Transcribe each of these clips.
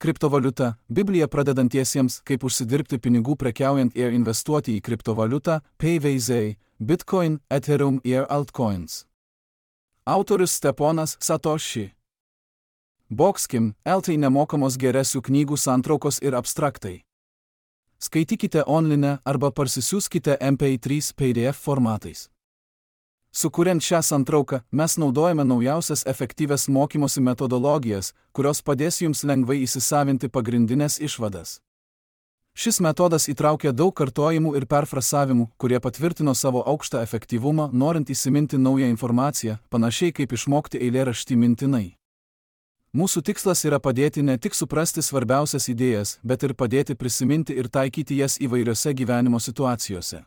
Kriptovaliuta – Biblija pradedantiesiems, kaip užsidirbti pinigų prekiaujant ir investuoti į kriptovaliutą, PayVZ, Bitcoin, Ethereum ir altcoins. Autorius Steponas Satoshi. Boxkim, LT nemokamos geresių knygų santraukos ir abstraktai. Skaitykite online arba parsisiųskite MP3 PDF formatais. Sukuriant šią santrauką, mes naudojame naujausias efektyvias mokymosi metodologijas, kurios padės jums lengvai įsisavinti pagrindinės išvadas. Šis metodas įtraukia daug kartojimų ir perfrasavimų, kurie patvirtino savo aukštą efektyvumą, norint įsiminti naują informaciją, panašiai kaip išmokti eilėraštį mintinai. Mūsų tikslas yra padėti ne tik suprasti svarbiausias idėjas, bet ir padėti prisiminti ir taikyti jas įvairiose gyvenimo situacijose.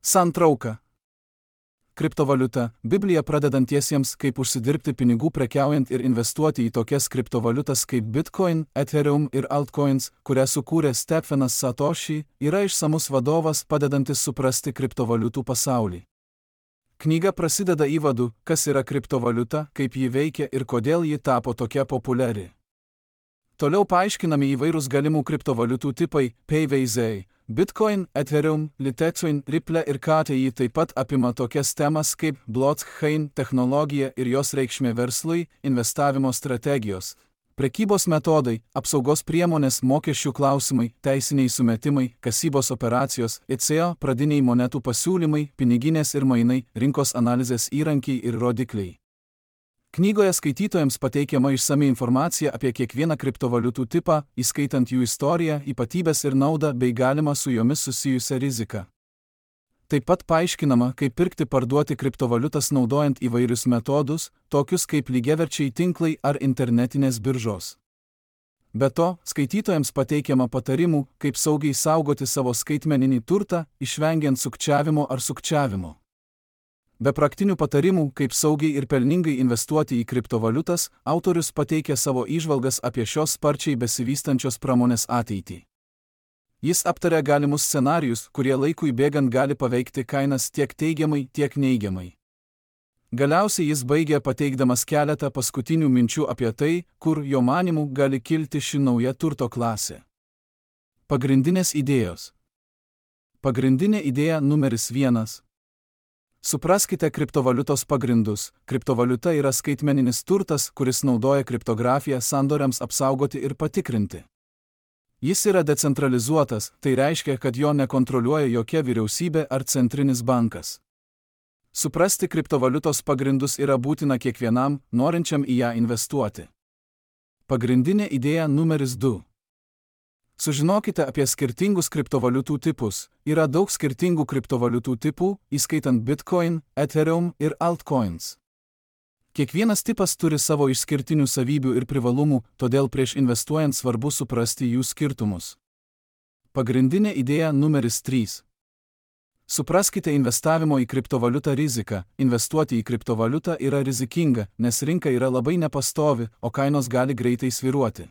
Santrauka. Kriptovaliuta – Biblija pradedantiesiems, kaip užsidirbti pinigų prekiaujant ir investuoti į tokias kriptovaliutas kaip Bitcoin, Ethereum ir altcoins, kurią sukūrė Steponas Satoshi, yra išsamus vadovas padedantis suprasti kriptovaliutų pasaulį. Knyga prasideda įvadu, kas yra kriptovaliuta, kaip ji veikia ir kodėl ji tapo tokia populiari. Toliau paaiškinami įvairūs galimų kriptovaliutų tipai – PayVZ, Bitcoin, Ethereum, Litecoin, Ripple ir KTI taip pat apima tokias temas kaip blockchain technologija ir jos reikšmė verslui, investavimo strategijos, prekybos metodai, apsaugos priemonės, mokesčių klausimai, teisiniai sumetimai, kasybos operacijos, ICO, pradiniai monetų pasiūlymai, piniginės ir mainai, rinkos analizės įrankiai ir rodikliai. Knygoje skaitytojams pateikiama išsami informacija apie kiekvieną kriptovaliutų tipą, įskaitant jų istoriją, ypatybes ir naudą bei galimą su jomis susijusią riziką. Taip pat paaiškinama, kaip pirkti parduoti kriptovaliutas naudojant įvairius metodus, tokius kaip lygiaverčiai tinklai ar internetinės biržos. Be to, skaitytojams pateikiama patarimų, kaip saugiai saugoti savo skaitmeninį turtą, išvengiant sukčiavimo ar sukčiavimo. Be praktinių patarimų, kaip saugiai ir pelningai investuoti į kriptovaliutas, autorius pateikia savo įžvalgas apie šios sparčiai besivystančios pramonės ateitį. Jis aptaria galimus scenarijus, kurie laikui bėgant gali paveikti kainas tiek teigiamai, tiek neigiamai. Galiausiai jis baigia pateikdamas keletą paskutinių minčių apie tai, kur jo manymu gali kilti ši nauja turto klasė. Pagrindinės idėjos. Pagrindinė idėja numeris 1. Supraskite kriptovaliutos pagrindus. Kriptovaliuta yra skaitmeninis turtas, kuris naudoja kriptografiją sandoriams apsaugoti ir patikrinti. Jis yra decentralizuotas, tai reiškia, kad jo nekontroliuoja jokia vyriausybė ar centrinis bankas. Suprasti kriptovaliutos pagrindus yra būtina kiekvienam, norinčiam į ją investuoti. Pagrindinė idėja numeris 2. Sužinokite apie skirtingus kriptovaliutų tipus. Yra daug skirtingų kriptovaliutų tipų, įskaitant Bitcoin, Ethereum ir altcoins. Kiekvienas tipas turi savo išskirtinių savybių ir privalumų, todėl prieš investuojant svarbu suprasti jų skirtumus. Pagrindinė idėja numeris 3. Supraskite investavimo į kriptovaliutą riziką. Investuoti į kriptovaliutą yra rizikinga, nes rinka yra labai nepastovi, o kainos gali greitai svyruoti.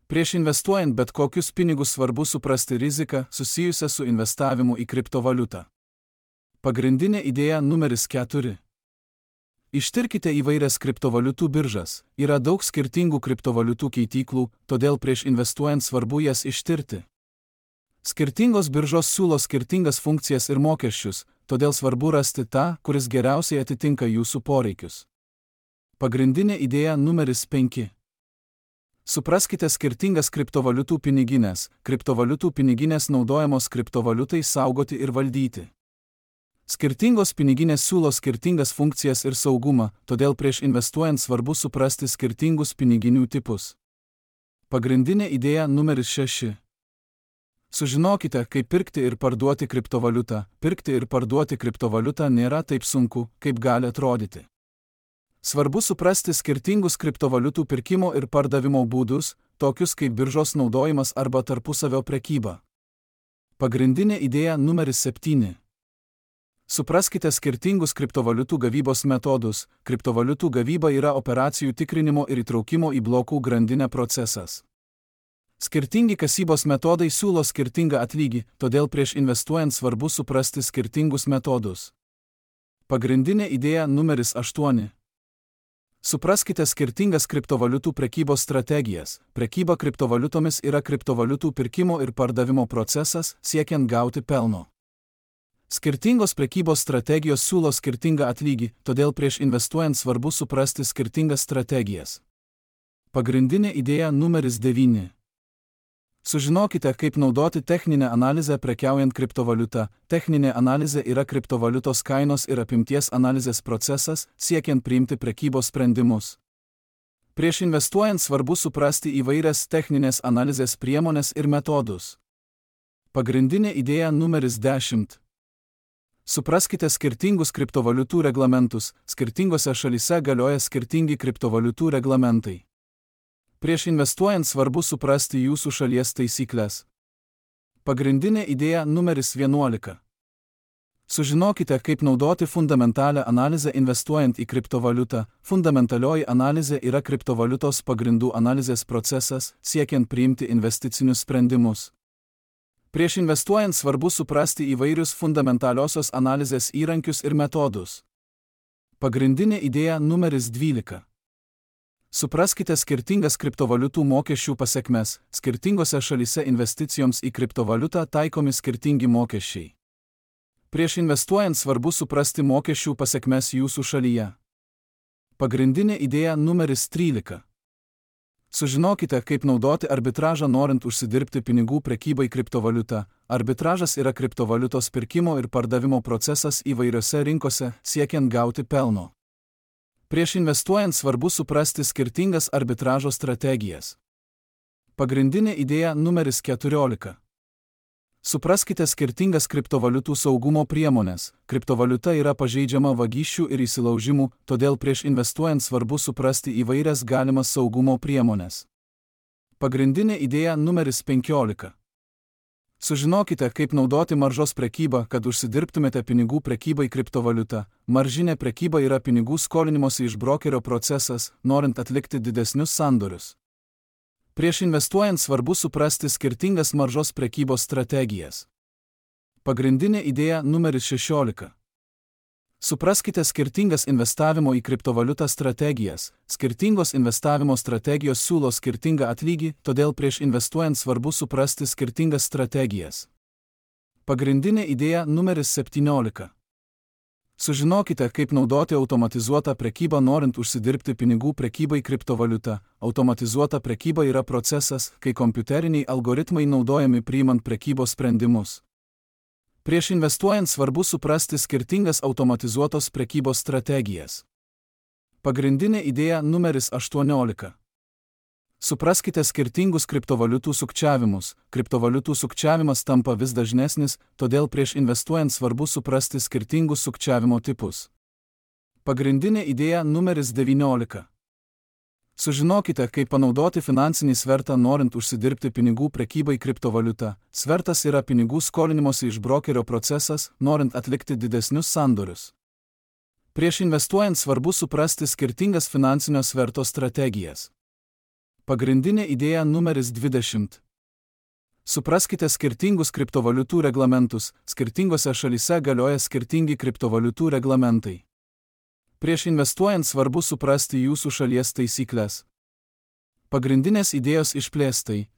Prieš investuojant bet kokius pinigus svarbu suprasti riziką susijusią su investavimu į kriptovaliutą. Pagrindinė idėja numeris 4. Ištirkite įvairias kriptovaliutų biržas. Yra daug skirtingų kriptovaliutų keityklų, todėl prieš investuojant svarbu jas ištirti. Skirtingos biržos siūlo skirtingas funkcijas ir mokesčius, todėl svarbu rasti tą, kuris geriausiai atitinka jūsų poreikius. Pagrindinė idėja numeris 5. Supraskite skirtingas kriptovaliutų piniginės. Kriptovaliutų piniginės naudojamos kriptovaliutai saugoti ir valdyti. Skirtingos piniginės siūlo skirtingas funkcijas ir saugumą, todėl prieš investuojant svarbu suprasti skirtingus piniginių tipus. Pagrindinė idėja numeris 6. Sužinokite, kaip pirkti ir parduoti kriptovaliutą. Pirkti ir parduoti kriptovaliutą nėra taip sunku, kaip gali atrodyti. Svarbu suprasti skirtingus kriptovaliutų pirkimo ir pardavimo būdus, tokius kaip biržos naudojimas arba tarpusavio prekyba. Pagrindinė idėja numeris 7. Supraskite skirtingus kriptovaliutų gavybos metodus. Kriptovaliutų gavyba yra operacijų tikrinimo ir įtraukimo į blokų grandinę procesas. Skirtingi kasybos metodai siūlo skirtingą atlygį, todėl prieš investuojant svarbu suprasti skirtingus metodus. Pagrindinė idėja numeris 8. Supraskite skirtingas kriptovaliutų prekybos strategijas. Prekyba kriptovaliutomis yra kriptovaliutų pirkimo ir pardavimo procesas, siekiant gauti pelno. Skirtingos prekybos strategijos siūlo skirtingą atlygį, todėl prieš investuojant svarbu suprasti skirtingas strategijas. Pagrindinė idėja numeris 9. Sužinokite, kaip naudoti techninę analizę prekiaujant kriptovaliutą. Techninė analizė yra kriptovaliutos kainos ir apimties analizės procesas, siekiant priimti prekybos sprendimus. Prieš investuojant svarbu suprasti įvairias techninės analizės priemones ir metodus. Pagrindinė idėja numeris 10. Supraskite skirtingus kriptovaliutų reglamentus. Skirtingose šalyse galioja skirtingi kriptovaliutų reglamentai. Prieš investuojant svarbu suprasti jūsų šalies taisyklės. Pagrindinė idėja numeris 11. Sužinokite, kaip naudoti fundamentalią analizę investuojant į kriptovaliutą. Fundamentalioji analizė yra kriptovaliutos pagrindų analizės procesas, siekiant priimti investicinius sprendimus. Prieš investuojant svarbu suprasti įvairius fundamentaliosios analizės įrankius ir metodus. Pagrindinė idėja numeris 12. Supraskite skirtingas kriptovaliutų mokesčių pasekmes. Skirtingose šalyse investicijoms į kriptovaliutą taikomi skirtingi mokesčiai. Prieš investuojant svarbu suprasti mokesčių pasekmes jūsų šalyje. Pagrindinė idėja numeris 13. Sužinokite, kaip naudoti arbitražą norint užsidirbti pinigų prekybai kriptovaliutą. Arbitražas yra kriptovaliutos pirkimo ir pardavimo procesas įvairiose rinkose, siekiant gauti pelno. Prieš investuojant svarbu suprasti skirtingas arbitražo strategijas. Pagrindinė idėja numeris 14. Supraskite skirtingas kriptovaliutų saugumo priemones. Kriptovaliuta yra pažeidžiama vagysčių ir įsilaužimų, todėl prieš investuojant svarbu suprasti įvairias galimas saugumo priemones. Pagrindinė idėja numeris 15. Sužinokite, kaip naudoti maržos prekybą, kad užsidirbtumėte pinigų prekybai kriptovaliutą. Maržinė prekyba yra pinigų skolinimosi iš brokerio procesas, norint atlikti didesnius sandorius. Prieš investuojant svarbu suprasti skirtingas maržos prekybos strategijas. Pagrindinė idėja numeris 16. Supraskite skirtingas investavimo į kriptovaliutą strategijas. Skirtingos investavimo strategijos siūlo skirtingą atlygį, todėl prieš investuojant svarbu suprasti skirtingas strategijas. Pagrindinė idėja numeris 17. Sužinokite, kaip naudoti automatizuotą prekybą norint užsidirbti pinigų prekybai kriptovaliutą. Automatizuota prekyba yra procesas, kai kompiuteriniai algoritmai naudojami priimant prekybos sprendimus. Prieš investuojant svarbu suprasti skirtingas automatizuotos prekybos strategijas. Pagrindinė idėja numeris 18. Supraskite skirtingus kriptovaliutų sukčiavimus. Kriptovaliutų sukčiavimas tampa vis dažnesnis, todėl prieš investuojant svarbu suprasti skirtingus sukčiavimo tipus. Pagrindinė idėja numeris 19. Sužinokite, kaip panaudoti finansinį svertą norint užsidirbti pinigų prekybai kriptovaliutą. Svertas yra pinigų skolinimosi iš brokerio procesas, norint atlikti didesnius sandorius. Prieš investuojant svarbu suprasti skirtingas finansinio sverto strategijas. Pagrindinė idėja numeris 20. Supraskite skirtingus kriptovaliutų reglamentus. Skirtingose šalyse galioja skirtingi kriptovaliutų reglamentai. Prieš investuojant svarbu suprasti jūsų šalies taisyklės. Pagrindinės idėjos išplėstai.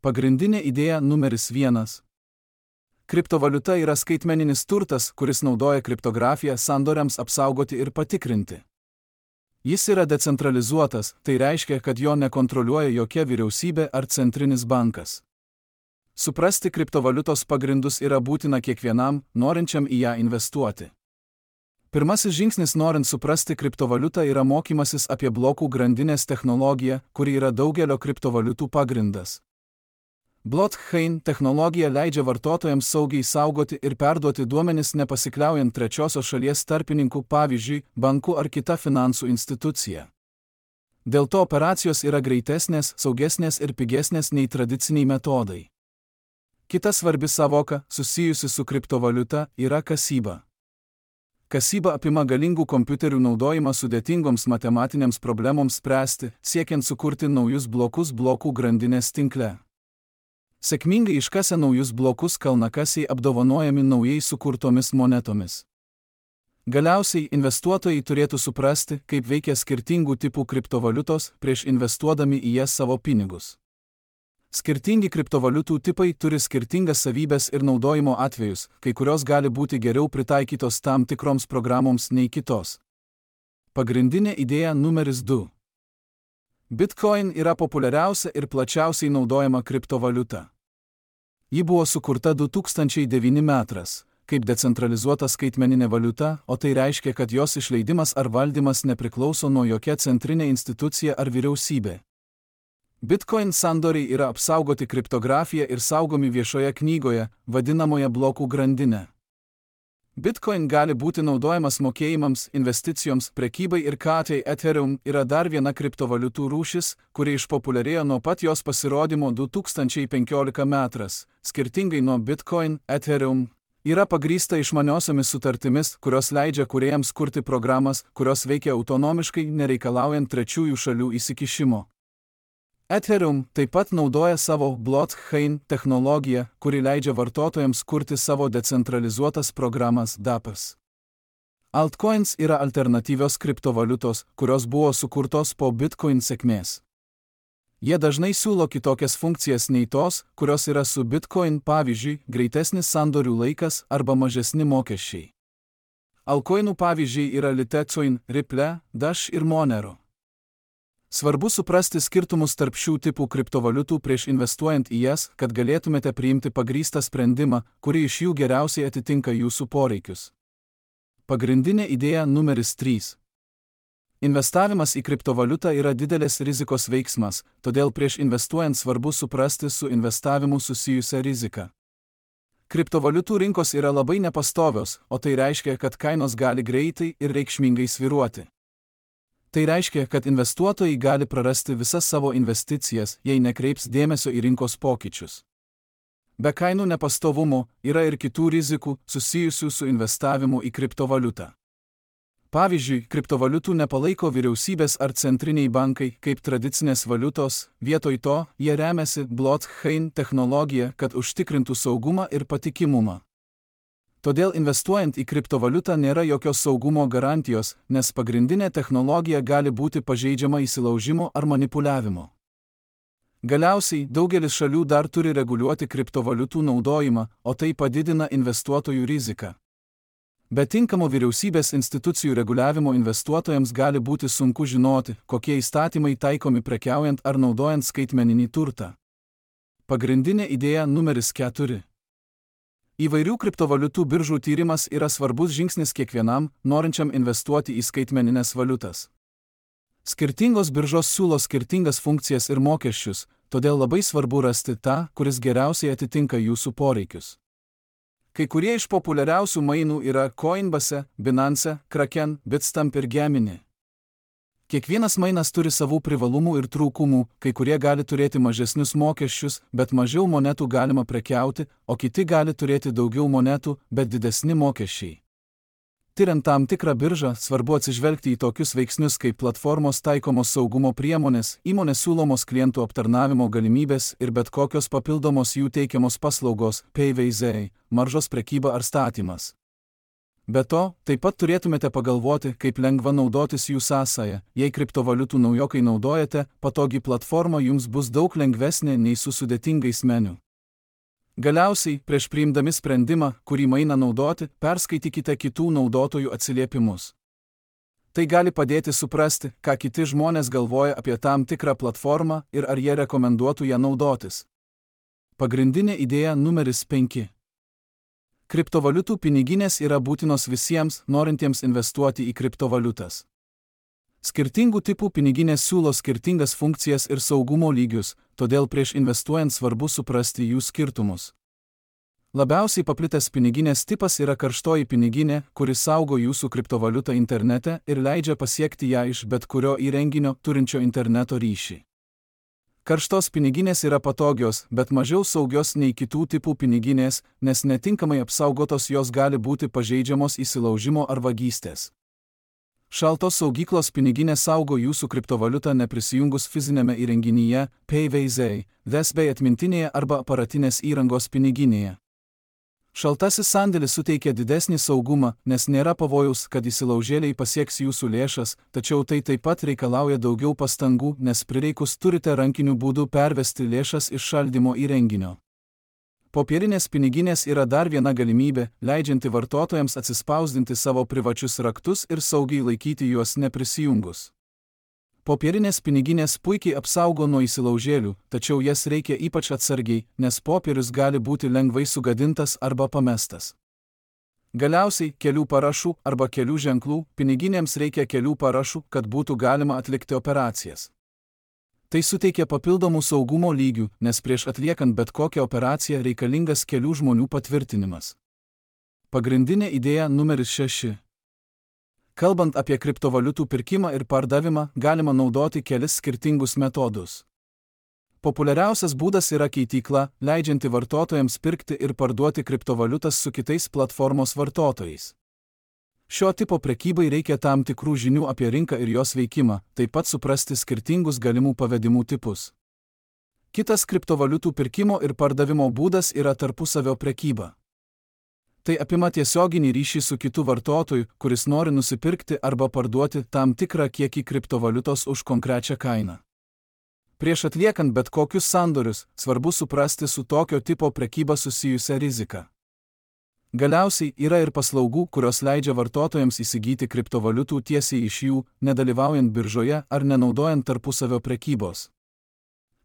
Pagrindinė idėja numeris 1. Kriptovaliuta yra skaitmeninis turtas, kuris naudoja kriptografiją sandoriams apsaugoti ir patikrinti. Jis yra decentralizuotas, tai reiškia, kad jo nekontroliuoja jokia vyriausybė ar centrinis bankas. Suprasti kriptovaliutos pagrindus yra būtina kiekvienam, norinčiam į ją investuoti. Pirmasis žingsnis norint suprasti kriptovaliutą yra mokymasis apie blokų grandinės technologiją, kuri yra daugelio kriptovaliutų pagrindas. Blockchain technologija leidžia vartotojams saugiai saugoti ir perduoti duomenis nepasikliaujant trečiosios šalies tarpininkų, pavyzdžiui, banku ar kita finansų institucija. Dėl to operacijos yra greitesnės, saugesnės ir pigesnės nei tradiciniai metodai. Kita svarbi savoka, susijusi su kriptovaliuta, yra kasyba. Kasyba apima galingų kompiuterių naudojimą sudėtingoms matematinėms problemoms spręsti, siekiant sukurti naujus blokus blokų grandinės tinkle. Sėkmingai iškasę naujus blokus kalnakasiai apdovanojami naujai sukurtomis monetomis. Galiausiai investuotojai turėtų suprasti, kaip veikia skirtingų tipų kriptovaliutos prieš investuodami į jas savo pinigus. Skirtingi kriptovaliutų tipai turi skirtingas savybes ir naudojimo atvejus, kai kurios gali būti geriau pritaikytos tam tikroms programoms nei kitos. Pagrindinė idėja numeris 2. Bitcoin yra populiariausia ir plačiausiai naudojama kriptovaliuta. Ji buvo sukurta 2009 metais, kaip decentralizuota skaitmeninė valiuta, o tai reiškia, kad jos išleidimas ar valdymas nepriklauso nuo jokia centrinė institucija ar vyriausybė. Bitcoin sandoriai yra apsaugoti kriptografija ir saugomi viešoje knygoje, vadinamoje blokų grandinė. Bitcoin gali būti naudojamas mokėjimams, investicijoms, prekybai ir katei. Ethereum yra dar viena kriptovaliutų rūšis, kuri išpopuliarėjo nuo pat jos pasirodymo 2015 metais. Skirtingai nuo Bitcoin, Ethereum yra pagrįsta išmaniosiomis sutartimis, kurios leidžia kūrėjams kurti programas, kurios veikia autonomiškai, nereikalaujant trečiųjų šalių įsikišimo. Ethereum taip pat naudoja savo blockchain technologiją, kuri leidžia vartotojams kurti savo decentralizuotas programas DApps. Altcoins yra alternatyvios kriptovaliutos, kurios buvo sukurtos po Bitcoin sėkmės. Jie dažnai siūlo kitokias funkcijas nei tos, kurios yra su Bitcoin, pavyzdžiui, greitesnis sandorių laikas arba mažesni mokesčiai. Altcoinų pavyzdžiai yra Litecoin, Ripple, Dash ir Monero. Svarbu suprasti skirtumus tarp šių tipų kriptovaliutų prieš investuojant į jas, kad galėtumėte priimti pagrįstą sprendimą, kuri iš jų geriausiai atitinka jūsų poreikius. Pagrindinė idėja numeris 3. Investavimas į kriptovaliutą yra didelės rizikos veiksmas, todėl prieš investuojant svarbu suprasti su investavimu susijusią riziką. Kriptovaliutų rinkos yra labai nepastovios, o tai reiškia, kad kainos gali greitai ir reikšmingai svyruoti. Tai reiškia, kad investuotojai gali prarasti visas savo investicijas, jei nekreips dėmesio į rinkos pokyčius. Be kainų nepastovumo yra ir kitų rizikų susijusių su investavimu į kriptovaliutą. Pavyzdžiui, kriptovaliutų nepalaiko vyriausybės ar centriniai bankai kaip tradicinės valiutos, vietoj to jie remiasi blockchain technologija, kad užtikrintų saugumą ir patikimumą. Todėl investuojant į kriptovaliutą nėra jokios saugumo garantijos, nes pagrindinė technologija gali būti pažeidžiama įsilaužimo ar manipuliavimo. Galiausiai, daugelis šalių dar turi reguliuoti kriptovaliutų naudojimą, o tai padidina investuotojų riziką. Be tinkamo vyriausybės institucijų reguliavimo investuotojams gali būti sunku žinoti, kokie įstatymai taikomi prekiaujant ar naudojant skaitmeninį turtą. Pagrindinė idėja numeris 4. Įvairių kriptovaliutų biržų tyrimas yra svarbus žingsnis kiekvienam, norinčiam investuoti į skaitmeninės valiutas. Skirtingos biržos siūlo skirtingas funkcijas ir mokesčius, todėl labai svarbu rasti tą, kuris geriausiai atitinka jūsų poreikius. Kai kurie iš populiariausių mainų yra Coinbase, Binance, Kraken, Bitstamp ir Gemini. Kiekvienas mainas turi savų privalumų ir trūkumų, kai kurie gali turėti mažesnius mokesčius, bet mažiau monetų galima prekiauti, o kiti gali turėti daugiau monetų, bet didesni mokesčiai. Tiriant tam tikrą biržą, svarbu atsižvelgti į tokius veiksnius kaip platformos taikomos saugumo priemonės, įmonės siūlomos klientų aptarnavimo galimybės ir bet kokios papildomos jų teikiamos paslaugos, PayVZ, maržos prekyba ar statymas. Be to, taip pat turėtumėte pagalvoti, kaip lengva naudotis jų sąsaja. Jei kriptovaliutų naujokai naudojate, patogi platforma jums bus daug lengvesnė nei su sudėtingais meniu. Galiausiai, prieš priimdami sprendimą, kurį mainą naudoti, perskaitykite kitų naudotojų atsiliepimus. Tai gali padėti suprasti, ką kiti žmonės galvoja apie tam tikrą platformą ir ar jie rekomenduotų ją naudotis. Pagrindinė idėja numeris 5. Kriptovaliutų piniginės yra būtinos visiems, norintiems investuoti į kriptovaliutas. Skirtingų tipų piniginės siūlo skirtingas funkcijas ir saugumo lygius, todėl prieš investuojant svarbu suprasti jų skirtumus. Labiausiai paplitęs piniginės tipas yra karštoji piniginė, kuri saugo jūsų kriptovaliutą internete ir leidžia pasiekti ją iš bet kurio įrenginio turinčio interneto ryšį. Karštos piniginės yra patogios, bet mažiau saugios nei kitų tipų piniginės, nes netinkamai apsaugotos jos gali būti pažeidžiamos įsilaužimo ar vagystės. Šaltos saugyklos piniginė saugo jūsų kriptovaliutą neprisijungus fizinėme įrenginyje, PayVZ, bei atmintinėje arba aparatinės įrangos piniginėje. Šaltasis sandėlis suteikia didesnį saugumą, nes nėra pavojaus, kad įsilaužėliai pasieks jūsų lėšas, tačiau tai taip pat reikalauja daugiau pastangų, nes prireikus turite rankiniu būdu pervesti lėšas iš šaldymo įrenginio. Popierinės piniginės yra dar viena galimybė, leidžianti vartotojams atsispausdinti savo privačius raktus ir saugiai laikyti juos neprisijungus. Popierinės piniginės puikiai apsaugo nuo įsilaužėlių, tačiau jas reikia ypač atsargiai, nes popierius gali būti lengvai sugadintas arba pamestas. Galiausiai, kelių parašų arba kelių ženklų, piniginėms reikia kelių parašų, kad būtų galima atlikti operacijas. Tai suteikia papildomų saugumo lygių, nes prieš atliekant bet kokią operaciją reikalingas kelių žmonių patvirtinimas. Pagrindinė idėja numeris 6. Kalbant apie kriptovaliutų pirkimą ir pardavimą, galima naudoti kelis skirtingus metodus. Populiariausias būdas yra keitykla, leidžianti vartotojams pirkti ir parduoti kriptovaliutas su kitais platformos vartotojais. Šio tipo prekybai reikia tam tikrų žinių apie rinką ir jos veikimą, taip pat suprasti skirtingus galimų pavedimų tipus. Kitas kriptovaliutų pirkimo ir pardavimo būdas yra tarpusavio prekyba. Tai apima tiesioginį ryšį su kitu vartotoju, kuris nori nusipirkti arba parduoti tam tikrą kiekį kriptovaliutos už konkrečią kainą. Prieš atliekant bet kokius sandorius, svarbu suprasti su tokio tipo prekyba susijusią riziką. Galiausiai yra ir paslaugų, kurios leidžia vartotojams įsigyti kriptovaliutų tiesiai iš jų, nedalyvaujant biržoje ar nenaudojant tarpusavio prekybos.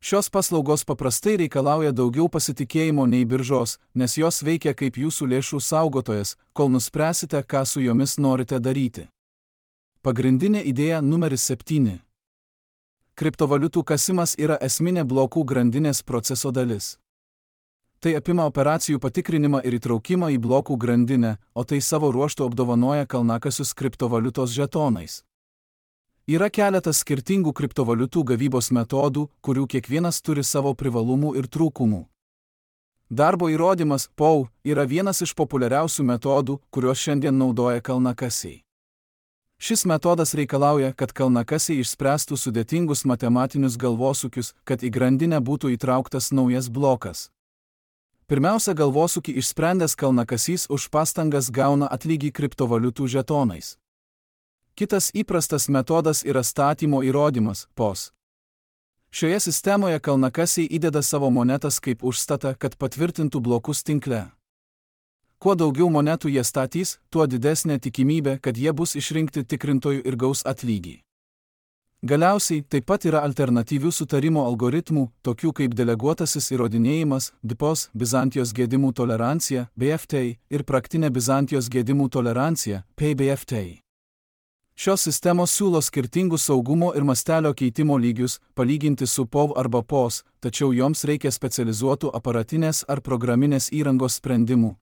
Šios paslaugos paprastai reikalauja daugiau pasitikėjimo nei biržos, nes jos veikia kaip jūsų lėšų saugotojas, kol nuspręsite, ką su jomis norite daryti. Pagrindinė idėja numeris 7. Kriptovaliutų kasimas yra esminė blokų grandinės proceso dalis. Tai apima operacijų patikrinimą ir įtraukimą į blokų grandinę, o tai savo ruožtu apdovanoja kalnakasius kriptovaliutos žetonais. Yra keletas skirtingų kriptovaliutų gavybos metodų, kurių kiekvienas turi savo privalumų ir trūkumų. Darbo įrodymas POW yra vienas iš populiariausių metodų, kuriuos šiandien naudoja kalnakasiai. Šis metodas reikalauja, kad kalnakasiai išspręstų sudėtingus matematinius galvosūkius, kad į grandinę būtų įtrauktas naujas blokas. Pirmiausia, galvosūkį išsprendęs kalnakasys už pastangas gauna atlygį kriptovaliutų žetonais. Kitas įprastas metodas yra statymo įrodymas POS. Šioje sistemoje kalnakasiai įdeda savo monetas kaip užstatą, kad patvirtintų blokus tinkle. Kuo daugiau monetų jie statys, tuo didesnė tikimybė, kad jie bus išrinkti tikrintojų ir gaus atlygį. Galiausiai taip pat yra alternatyvių sutarimo algoritmų, tokių kaip deleguotasis įrodinėjimas, DPoS, Bizantijos gedimų tolerancija, BFT, ir praktinė Bizantijos gedimų tolerancija, PBFT. Šios sistemos siūlo skirtingus saugumo ir mastelio keitimo lygius, palyginti su POW arba POS, tačiau joms reikia specializuotų aparatinės ar programinės įrangos sprendimų.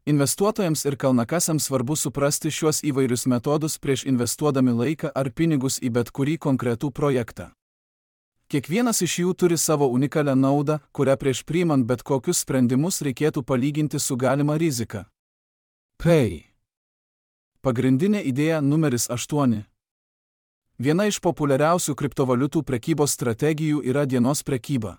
Investuotojams ir kalnakasiams svarbu suprasti šiuos įvairius metodus prieš investuodami laiką ar pinigus į bet kurį konkretų projektą. Kiekvienas iš jų turi savo unikalią naudą, kurią prieš priimant bet kokius sprendimus reikėtų palyginti su galima rizika. PEI. Pagrindinė idėja numeris 8. Viena iš populiariausių kriptovaliutų prekybos strategijų yra dienos prekyba.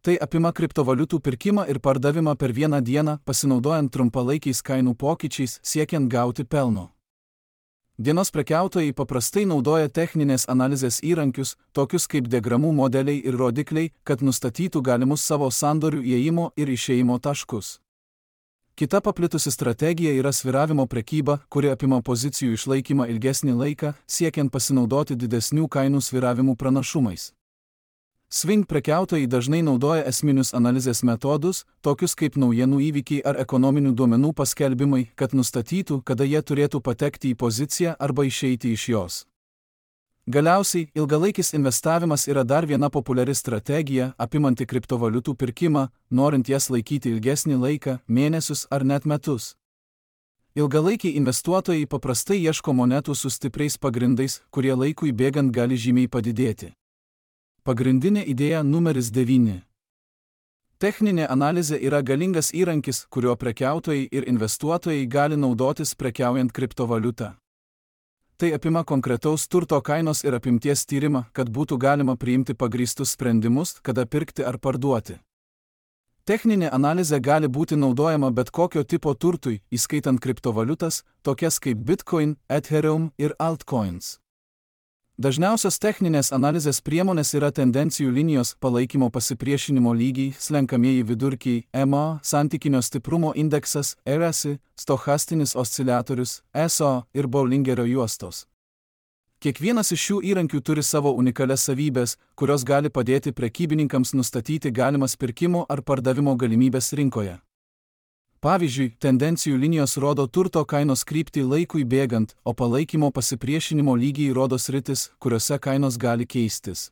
Tai apima kriptovaliutų pirkimą ir pardavimą per vieną dieną, pasinaudojant trumpalaikiais kainų pokyčiais, siekiant gauti pelno. Dienos prekiautojai paprastai naudoja techninės analizės įrankius, tokius kaip diagramų modeliai ir rodikliai, kad nustatytų galimus savo sandorių įėjimo ir išėjimo taškus. Kita paplitusi strategija yra svyravimo prekyba, kuri apima pozicijų išlaikymą ilgesnį laiką, siekiant pasinaudoti didesnių kainų svyravimų pranašumais. Swing prekiautojai dažnai naudoja esminius analizės metodus, tokius kaip naujienų įvykiai ar ekonominių duomenų paskelbimai, kad nustatytų, kada jie turėtų patekti į poziciją arba išeiti iš jos. Galiausiai, ilgalaikis investavimas yra dar viena populiari strategija, apimanti kriptovaliutų pirkimą, norint jas laikyti ilgesnį laiką, mėnesius ar net metus. Ilgalaikiai investuotojai paprastai ieško monetų su stipriais pagrindais, kurie laikui bėgant gali žymiai padidėti. Pagrindinė idėja numeris 9. Techninė analizė yra galingas įrankis, kuriuo prekiautojai ir investuotojai gali naudotis prekiaujant kriptovaliutą. Tai apima konkretaus turto kainos ir apimties tyrimą, kad būtų galima priimti pagrįstus sprendimus, kada pirkti ar parduoti. Techninė analizė gali būti naudojama bet kokio tipo turtui, įskaitant kriptovaliutas, tokias kaip Bitcoin, Ethereum ir altcoins. Dažniausios techninės analizės priemonės yra tendencijų linijos, palaikymo pasipriešinimo lygiai, slenkamieji vidurkiai, EMA, santykinio stiprumo indeksas, RSI, stochastinis osciliatorius, ESO ir Bollingerio juostos. Kiekvienas iš šių įrankių turi savo unikalias savybės, kurios gali padėti prekybininkams nustatyti galimas pirkimo ar pardavimo galimybės rinkoje. Pavyzdžiui, tendencijų linijos rodo turto kainos kryptį laikui bėgant, o palaikymo pasipriešinimo lygiai rodo sritis, kuriuose kainos gali keistis.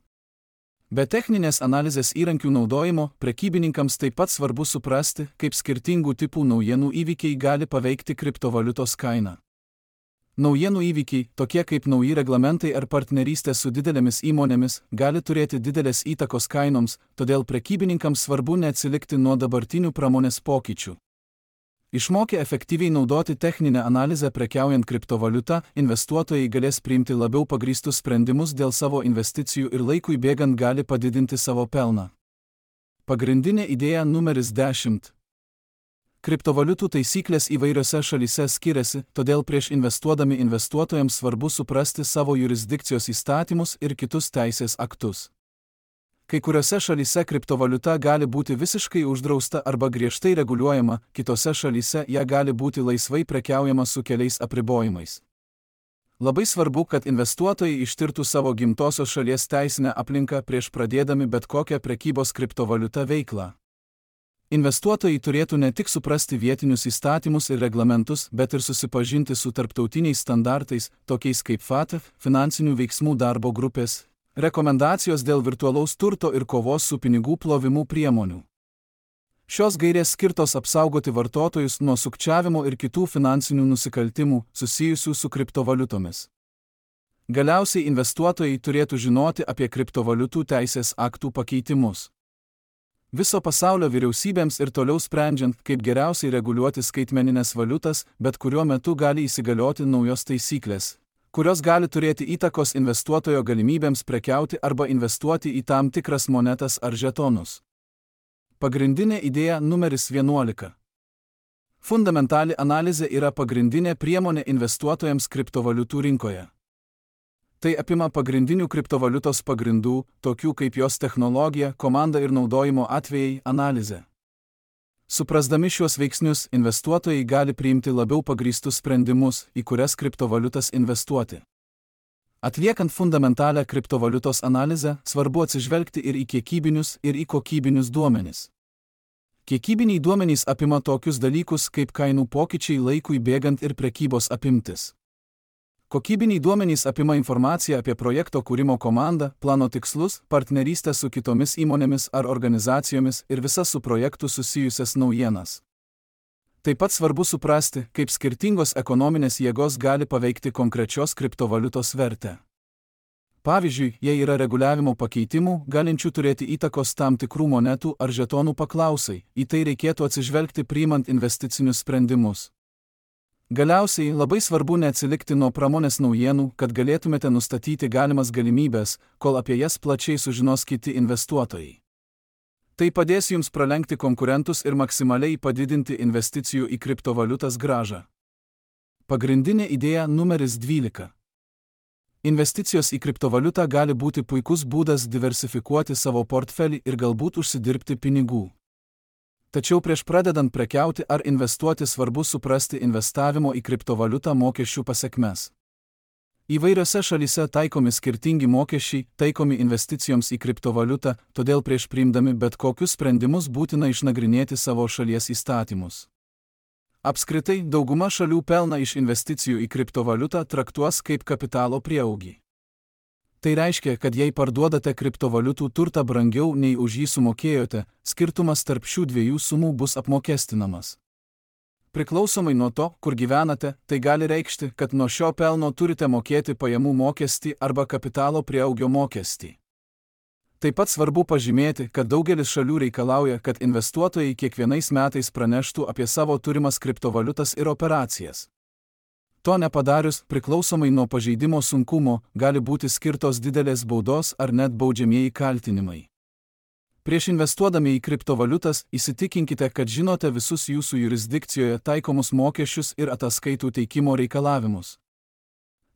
Be techninės analizės įrankių naudojimo, prekybininkams taip pat svarbu suprasti, kaip skirtingų tipų naujienų įvykiai gali paveikti kriptovaliutos kainą. Naujienų įvykiai, tokie kaip nauji reglamentai ar partnerystė su didelėmis įmonėmis, gali turėti didelės įtakos kainoms, todėl prekybininkams svarbu neatsilikti nuo dabartinių pramonės pokyčių. Išmokę efektyviai naudoti techninę analizę prekiaujant kriptovaliutą, investuotojai galės priimti labiau pagrįstus sprendimus dėl savo investicijų ir laikui bėgant gali padidinti savo pelną. Pagrindinė idėja numeris 10. Kriptovaliutų taisyklės įvairiose šalyse skiriasi, todėl prieš investuodami investuotojams svarbu suprasti savo jurisdikcijos įstatymus ir kitus teisės aktus. Kai kuriuose šalyse kriptovaliuta gali būti visiškai uždrausta arba griežtai reguliuojama, kitose šalyse ją gali būti laisvai prekiaujama su keliais apribojimais. Labai svarbu, kad investuotojai ištirtų savo gimtosios šalies teisinę aplinką prieš pradėdami bet kokią prekybos kriptovaliuta veiklą. Investuotojai turėtų ne tik suprasti vietinius įstatymus ir reglamentus, bet ir susipažinti su tarptautiniais standartais, tokiais kaip FATF, finansinių veiksmų darbo grupės, rekomendacijos dėl virtualaus turto ir kovos su pinigų plovimu priemonių. Šios gairės skirtos apsaugoti vartotojus nuo sukčiavimo ir kitų finansinių nusikaltimų susijusių su kriptovaliutomis. Galiausiai investuotojai turėtų žinoti apie kriptovaliutų teisės aktų pakeitimus. Viso pasaulio vyriausybėms ir toliau sprendžiant, kaip geriausiai reguliuoti skaitmeninės valiutas, bet kuriuo metu gali įsigalioti naujos taisyklės, kurios gali turėti įtakos investuotojo galimybėms prekiauti arba investuoti į tam tikras monetas ar žetonus. Pagrindinė idėja numeris 11. Fundamentali analizė yra pagrindinė priemonė investuotojams kriptovaliutų rinkoje. Tai apima pagrindinių kriptovaliutos pagrindų, tokių kaip jos technologija, komanda ir naudojimo atvejai, analizė. Suprasdami šiuos veiksnius, investuotojai gali priimti labiau pagrįstus sprendimus, į kurias kriptovaliutas investuoti. Atliekant fundamentalią kriptovaliutos analizę, svarbu atsižvelgti ir į kiekybinius, ir į kokybinius duomenis. Kiekybiniai duomenys apima tokius dalykus kaip kainų pokyčiai laikui bėgant ir prekybos apimtis. Kokybiniai duomenys apima informaciją apie projekto kūrimo komandą, plano tikslus, partnerystę su kitomis įmonėmis ar organizacijomis ir visas su projektu susijusias naujienas. Taip pat svarbu suprasti, kaip skirtingos ekonominės jėgos gali paveikti konkrečios kriptovaliutos vertę. Pavyzdžiui, jei yra reguliavimo pakeitimų, galinčių turėti įtakos tam tikrų monetų ar žetonų paklausai, į tai reikėtų atsižvelgti priimant investicinius sprendimus. Galiausiai labai svarbu neatsilikti nuo pramonės naujienų, kad galėtumėte nustatyti galimas galimybės, kol apie jas plačiai sužinos kiti investuotojai. Tai padės jums pralenkti konkurentus ir maksimaliai padidinti investicijų į kriptovaliutas grąžą. Pagrindinė idėja numeris 12. Investicijos į kriptovaliutą gali būti puikus būdas diversifikuoti savo portfelį ir galbūt užsidirbti pinigų. Tačiau prieš pradedant prekiauti ar investuoti svarbu suprasti investavimo į kriptovaliutą mokesčių pasekmes. Įvairiose šalyse taikomi skirtingi mokesčiai, taikomi investicijoms į kriptovaliutą, todėl prieš priimdami bet kokius sprendimus būtina išnagrinėti savo šalies įstatymus. Apskritai, dauguma šalių pelną iš investicijų į kriptovaliutą traktuos kaip kapitalo prieaugį. Tai reiškia, kad jei parduodate kriptovaliutų turtą brangiau nei už jį sumokėjote, skirtumas tarp šių dviejų sumų bus apmokestinamas. Priklausomai nuo to, kur gyvenate, tai gali reikšti, kad nuo šio pelno turite mokėti pajamų mokestį arba kapitalo prieaugio mokestį. Taip pat svarbu pažymėti, kad daugelis šalių reikalauja, kad investuotojai kiekvienais metais praneštų apie savo turimas kriptovaliutas ir operacijas. To nepadarius, priklausomai nuo pažeidimo sunkumo, gali būti skirtos didelės baudos ar net baudžiamieji kaltinimai. Prieš investuodami į kriptovaliutas įsitikinkite, kad žinote visus jūsų jurisdikcijoje taikomus mokesčius ir ataskaitų teikimo reikalavimus.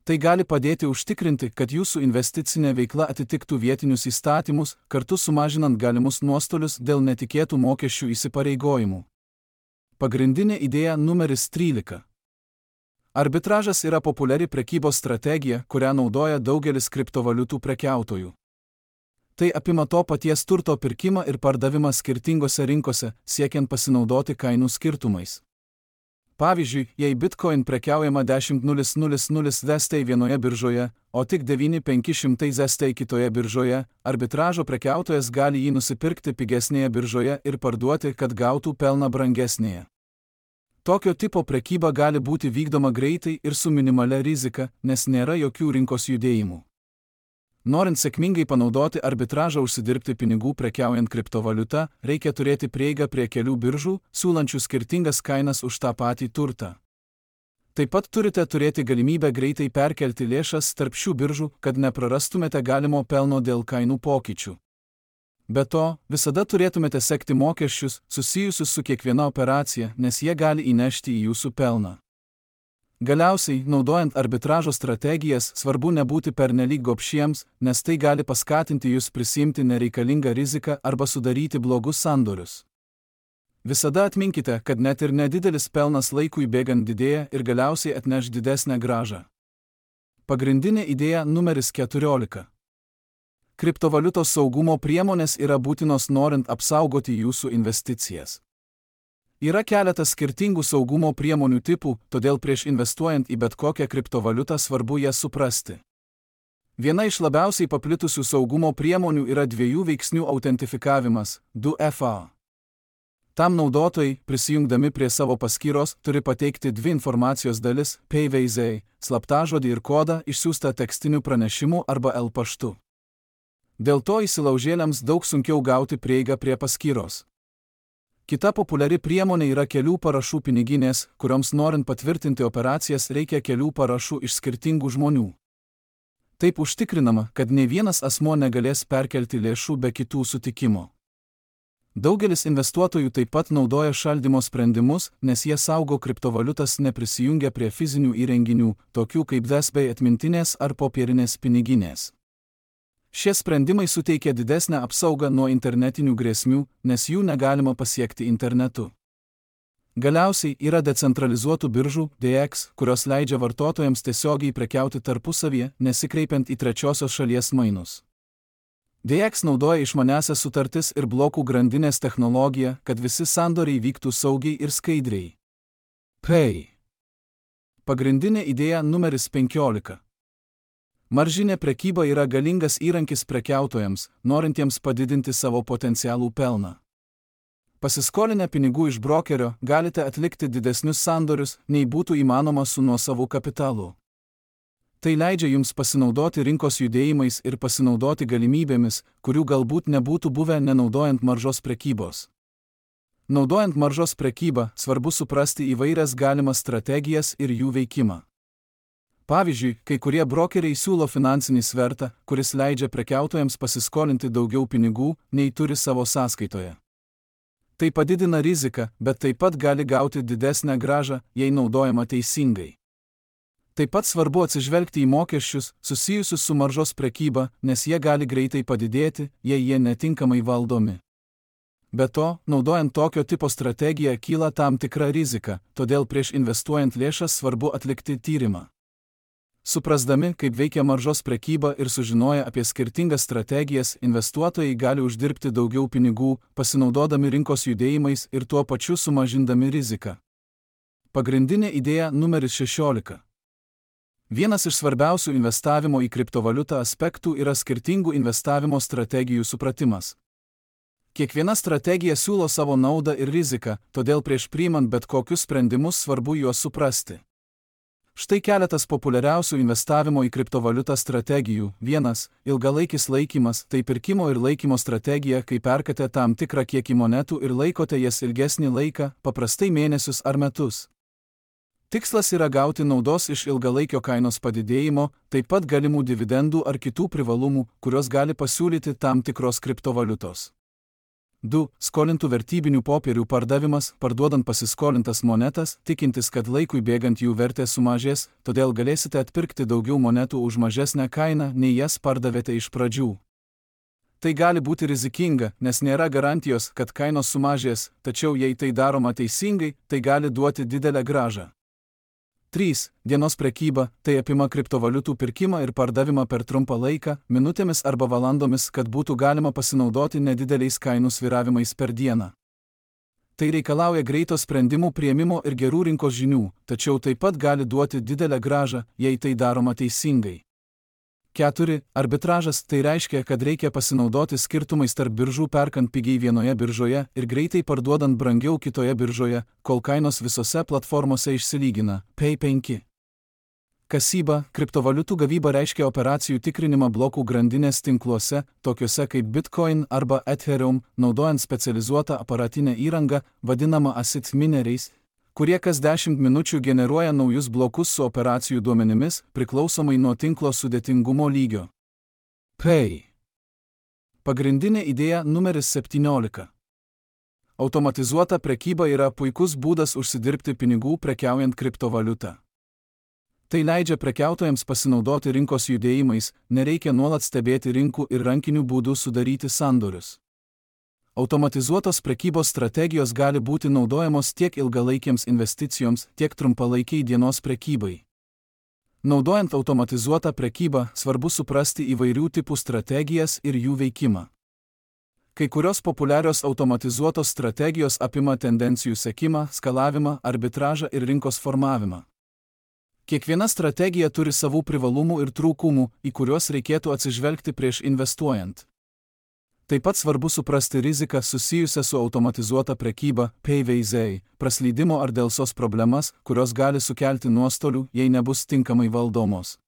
Tai gali padėti užtikrinti, kad jūsų investicinė veikla atitiktų vietinius įstatymus, kartu sumažinant galimus nuostolius dėl netikėtų mokesčių įsipareigojimų. Pagrindinė idėja numeris 13. Arbitražas yra populiari prekybos strategija, kurią naudoja daugelis kriptovaliutų prekiautojų. Tai apima to paties turto pirkimą ir pardavimą skirtingose rinkose, siekiant pasinaudoti kainų skirtumais. Pavyzdžiui, jei Bitcoin prekiaujama 10.000 ZT vienoje biržoje, o tik 9.500 ZT kitoje biržoje, arbitražo prekiautojas gali jį nusipirkti pigesnėje biržoje ir parduoti, kad gautų pelną brangesnėje. Tokio tipo prekyba gali būti vykdoma greitai ir su minimalia rizika, nes nėra jokių rinkos judėjimų. Norint sėkmingai panaudoti arbitražą užsidirbti pinigų prekiaujant kriptovaliuta, reikia turėti prieigą prie kelių biržų, siūlančių skirtingas kainas už tą patį turtą. Taip pat turite turėti galimybę greitai perkelti lėšas tarp šių biržų, kad neprarastumėte galimo pelno dėl kainų pokyčių. Be to, visada turėtumėte sekti mokesčius susijusius su kiekviena operacija, nes jie gali įnešti į jūsų pelną. Galiausiai, naudojant arbitražo strategijas, svarbu nebūti pernelyg gobšiems, nes tai gali paskatinti jūs prisiimti nereikalingą riziką arba sudaryti blogus sandorius. Visada atminkite, kad net ir nedidelis pelnas laikui bėgant didėja ir galiausiai atneš didesnę grąžą. Pagrindinė idėja numeris 14. Kriptovaliutos saugumo priemonės yra būtinos norint apsaugoti jūsų investicijas. Yra keletas skirtingų saugumo priemonių tipų, todėl prieš investuojant į bet kokią kriptovaliutą svarbu jas suprasti. Viena iš labiausiai paplitusių saugumo priemonių yra dviejų veiksnių autentifikavimas – 2FA. Tam naudotojai, prisijungdami prie savo paskyros, turi pateikti dvi informacijos dalis – PayVaizai, slaptažodį ir kodą išsiųstą tekstiniu pranešimu arba L paštu. Dėl to įsilaužėliams daug sunkiau gauti prieigą prie paskyros. Kita populiari priemonė yra kelių parašų piniginės, kurioms norint patvirtinti operacijas reikia kelių parašų iš skirtingų žmonių. Taip užtikrinama, kad nei vienas asmuo negalės perkelti lėšų be kitų sutikimo. Daugelis investuotojų taip pat naudoja šaldymo sprendimus, nes jie saugo kriptovaliutas neprisijungę prie fizinių įrenginių, tokių kaip USB atmintinės ar popierinės piniginės. Šie sprendimai suteikia didesnę apsaugą nuo internetinių grėsmių, nes jų negalima pasiekti internetu. Galiausiai yra decentralizuotų biržų, DEX, kurios leidžia vartotojams tiesiogiai prekiauti tarpusavyje, nesikreipiant į trečiosios šalies mainus. DEX naudoja išmaniąsias sutartis ir blokų grandinės technologiją, kad visi sandoriai vyktų saugiai ir skaidriai. Pay. Pagrindinė idėja numeris 15. Maržinė prekyba yra galingas įrankis prekiautojams, norintiems padidinti savo potencialų pelną. Pasiskolinę pinigų iš brokerio galite atlikti didesnius sandorius, nei būtų įmanoma su nuosavu kapitalu. Tai leidžia jums pasinaudoti rinkos judėjimais ir pasinaudoti galimybėmis, kurių galbūt nebūtų buvę nenaudojant maržos prekybos. Naudojant maržos prekybą, svarbu suprasti įvairias galimas strategijas ir jų veikimą. Pavyzdžiui, kai kurie brokeriai siūlo finansinį svertą, kuris leidžia prekiautojams pasiskolinti daugiau pinigų, nei turi savo sąskaitoje. Tai padidina riziką, bet taip pat gali gauti didesnę grąžą, jei naudojama teisingai. Taip pat svarbu atsižvelgti į mokesčius, susijusius su maržos prekyba, nes jie gali greitai padidėti, jei jie netinkamai valdomi. Be to, naudojant tokio tipo strategiją kyla tam tikra rizika, todėl prieš investuojant lėšas svarbu atlikti tyrimą. Suprasdami, kaip veikia maržos prekyba ir sužinoję apie skirtingas strategijas, investuotojai gali uždirbti daugiau pinigų, pasinaudodami rinkos judėjimais ir tuo pačiu sumažindami riziką. Pagrindinė idėja numeris 16. Vienas iš svarbiausių investavimo į kriptovaliutą aspektų yra skirtingų investavimo strategijų supratimas. Kiekviena strategija siūlo savo naudą ir riziką, todėl prieš priimant bet kokius sprendimus svarbu juos suprasti. Štai keletas populiariausių investavimo į kriptovaliutą strategijų. 1. Ilgalaikis laikymas – tai pirkimo ir laikymo strategija, kai perkate tam tikrą kiekį monetų ir laikote jas ilgesnį laiką, paprastai mėnesius ar metus. Tikslas yra gauti naudos iš ilgalaikio kainos padidėjimo, taip pat galimų dividendų ar kitų privalumų, kurios gali pasiūlyti tam tikros kriptovaliutos. 2. Skolintų vertybinių popierių pardavimas, parduodant pasiskolintas monetas, tikintis, kad laikui bėgant jų vertė sumažės, todėl galėsite atpirkti daugiau monetų už mažesnę kainą, nei jas pardavėte iš pradžių. Tai gali būti rizikinga, nes nėra garantijos, kad kainos sumažės, tačiau jei tai daroma teisingai, tai gali duoti didelę grąžą. 3. Dienos prekyba – tai apima kriptovaliutų pirkimą ir pardavimą per trumpą laiką, minutėmis arba valandomis, kad būtų galima pasinaudoti nedideliais kainų svyravimais per dieną. Tai reikalauja greito sprendimų priėmimo ir gerų rinkos žinių, tačiau taip pat gali duoti didelę grąžą, jei tai daroma teisingai. 4. Arbitražas – tai reiškia, kad reikia pasinaudoti skirtumais tarp biržų perkant pigiai vienoje biržoje ir greitai parduodant brangiau kitoje biržoje, kol kainos visose platformose išsilygina. P5. Kasyba – kriptovaliutų gavyba reiškia operacijų tikrinimą blokų grandinės tinkluose, tokiuose kaip Bitcoin arba Ethereum, naudojant specializuotą aparatinę įrangą, vadinamą ASIC mineriais, kurie kas 10 minučių generuoja naujus blokus su operacijų duomenimis, priklausomai nuo tinklo sudėtingumo lygio. P. Pagrindinė idėja numeris 17. Automatizuota prekyba yra puikus būdas užsidirbti pinigų prekiaujant kriptovaliutą. Tai leidžia prekiautojams pasinaudoti rinkos judėjimais, nereikia nuolat stebėti rinkų ir rankiniu būdu sudaryti sandorius. Automatizuotos prekybos strategijos gali būti naudojamos tiek ilgalaikiams investicijoms, tiek trumpalaikiai dienos prekybai. Naudojant automatizuotą prekybą, svarbu suprasti įvairių tipų strategijas ir jų veikimą. Kai kurios populiarios automatizuotos strategijos apima tendencijų sekimą, skalavimą, arbitražą ir rinkos formavimą. Kiekviena strategija turi savų privalumų ir trūkumų, į kuriuos reikėtų atsižvelgti prieš investuojant. Taip pat svarbu suprasti riziką susijusią su automatizuota prekyba, PVZ, praslydimo ar dėlsos problemas, kurios gali sukelti nuostolių, jei nebus tinkamai valdomos.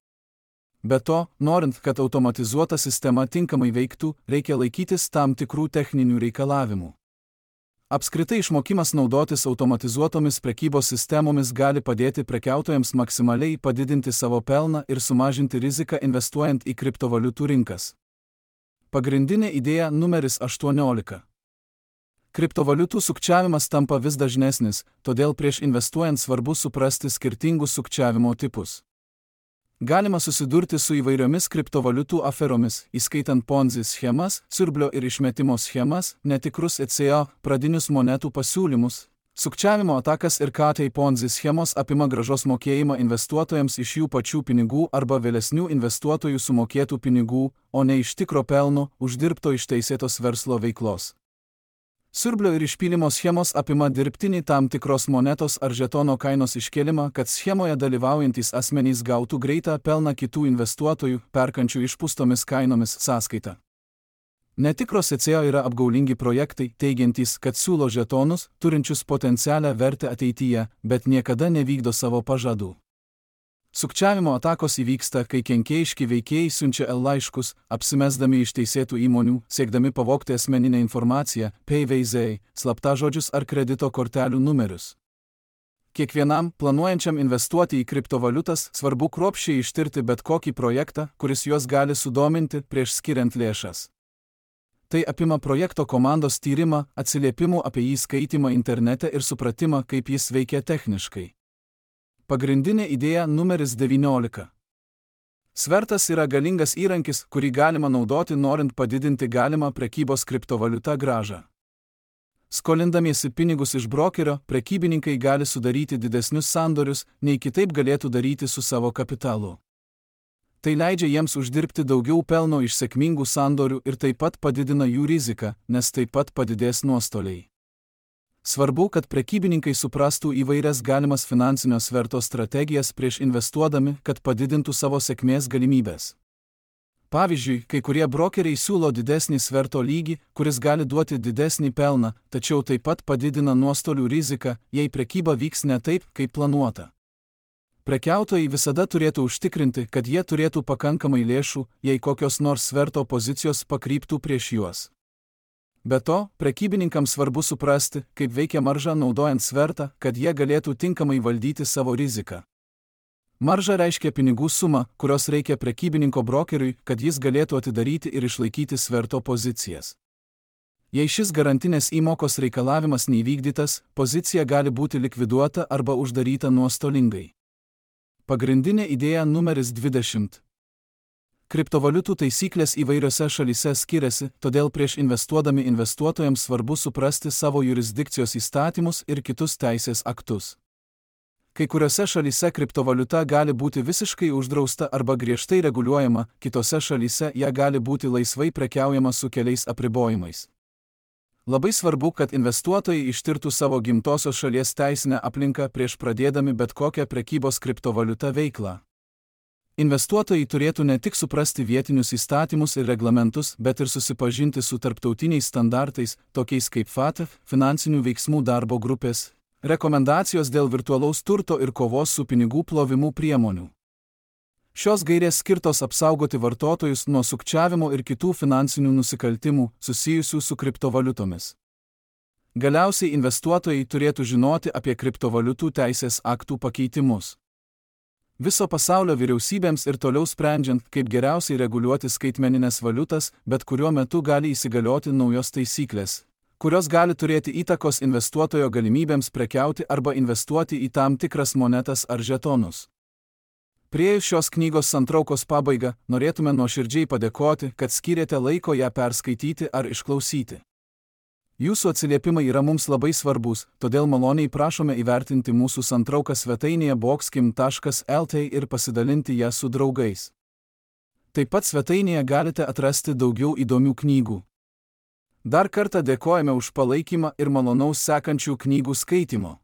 Be to, norint, kad automatizuota sistema tinkamai veiktų, reikia laikytis tam tikrų techninių reikalavimų. Apskritai išmokimas naudotis automatizuotomis prekybos sistemomis gali padėti prekiautojams maksimaliai padidinti savo pelną ir sumažinti riziką investuojant į kriptovaliutų rinkas. Pagrindinė idėja numeris 18. Kriptovaliutų sukčiavimas tampa vis dažnesnis, todėl prieš investuojant svarbu suprasti skirtingus sukčiavimo tipus. Galima susidurti su įvairiomis kriptovaliutų aferomis, įskaitant Ponzi schemas, siurblio ir išmetimo schemas, netikrus ECO, pradinius monetų pasiūlymus. Sukčiavimo atakas ir KT Ponzi schemos apima grąžos mokėjimą investuotojams iš jų pačių pinigų arba vėlesnių investuotojų sumokėtų pinigų, o ne iš tikro pelno, uždirbto iš teisėtos verslo veiklos. Siurblio ir išpylimo schemos apima dirbtinį tam tikros monetos ar žetono kainos iškėlimą, kad schemoje dalyvaujantys asmenys gautų greitą pelną kitų investuotojų, perkančių išpūstomis kainomis sąskaitą. Netikros ECO yra apgaulingi projektai, teigiantys, kad siūlo žetonus, turinčius potencialią vertę ateityje, bet niekada nevykdo savo pažadų. Sukčiavimo atakos įvyksta, kai kenkėjiški veikėjai siunčia laiškus, apsimesdami iš teisėtų įmonių, siekdami pavogti asmeninę informaciją, PVZ, slaptažodžius ar kredito kortelių numerius. Kiekvienam, planuojančiam investuoti į kriptovaliutas, svarbu kruopščiai ištirti bet kokį projektą, kuris juos gali sudominti prieš skiriant lėšas. Tai apima projekto komandos tyrimą, atsiliepimų apie jį skaitymą internete ir supratimą, kaip jis veikia techniškai. Pagrindinė idėja numeris 19. Svertas yra galingas įrankis, kurį galima naudoti norint padidinti galimą prekybos kriptovaliuta grąžą. Skolindamiesi pinigus iš brokerio, prekybininkai gali sudaryti didesnius sandorius, nei kitaip galėtų daryti su savo kapitalu. Tai leidžia jiems uždirbti daugiau pelno iš sėkmingų sandorių ir taip pat padidina jų riziką, nes taip pat padidės nuostoliai. Svarbu, kad prekybininkai suprastų įvairias galimas finansinio sverto strategijas prieš investuodami, kad padidintų savo sėkmės galimybės. Pavyzdžiui, kai kurie brokeriai siūlo didesnį sverto lygį, kuris gali duoti didesnį pelną, tačiau taip pat padidina nuostolių riziką, jei prekyba vyks ne taip, kaip planuota. Prekiautojai visada turėtų užtikrinti, kad jie turėtų pakankamai lėšų, jei kokios nors sverto pozicijos pakryptų prieš juos. Be to, prekybininkams svarbu suprasti, kaip veikia marža naudojant svertą, kad jie galėtų tinkamai valdyti savo riziką. Marža reiškia pinigų sumą, kurios reikia prekybininko brokeriui, kad jis galėtų atidaryti ir išlaikyti sverto pozicijas. Jei šis garantinės įmokos reikalavimas neįvykdytas, pozicija gali būti likviduota arba uždaryta nuostolingai. Pagrindinė idėja numeris 20. Kriptovaliutų taisyklės įvairiose šalyse skiriasi, todėl prieš investuodami investuotojams svarbu suprasti savo jurisdikcijos įstatymus ir kitus teisės aktus. Kai kuriuose šalyse kriptovaliuta gali būti visiškai uždrausta arba griežtai reguliuojama, kitose šalyse ją gali būti laisvai prekiaujama su keliais apribojimais. Labai svarbu, kad investuotojai ištirtų savo gimtosios šalies teisinę aplinką prieš pradėdami bet kokią prekybos kriptovaliuta veiklą. Investuotojai turėtų ne tik suprasti vietinius įstatymus ir reglamentus, bet ir susipažinti su tarptautiniais standartais, tokiais kaip FATF, finansinių veiksmų darbo grupės, rekomendacijos dėl virtualaus turto ir kovos su pinigų plovimu priemonių. Šios gairės skirtos apsaugoti vartotojus nuo sukčiavimo ir kitų finansinių nusikaltimų susijusių su kriptovaliutomis. Galiausiai investuotojai turėtų žinoti apie kriptovaliutų teisės aktų pakeitimus. Viso pasaulio vyriausybėms ir toliau sprendžiant, kaip geriausiai reguliuoti skaitmeninės valiutas, bet kuriuo metu gali įsigalioti naujos taisyklės, kurios gali turėti įtakos investuotojo galimybėms prekiauti arba investuoti į tam tikras monetas ar žetonus. Priėjus šios knygos santraukos pabaigą, norėtume nuoširdžiai padėkoti, kad skyrėte laiko ją perskaityti ar išklausyti. Jūsų atsiliepimai yra mums labai svarbus, todėl maloniai prašome įvertinti mūsų santrauką svetainėje boxkim.lt ir pasidalinti ją su draugais. Taip pat svetainėje galite atrasti daugiau įdomių knygų. Dar kartą dėkojame už palaikymą ir malonaus sekančių knygų skaitimo.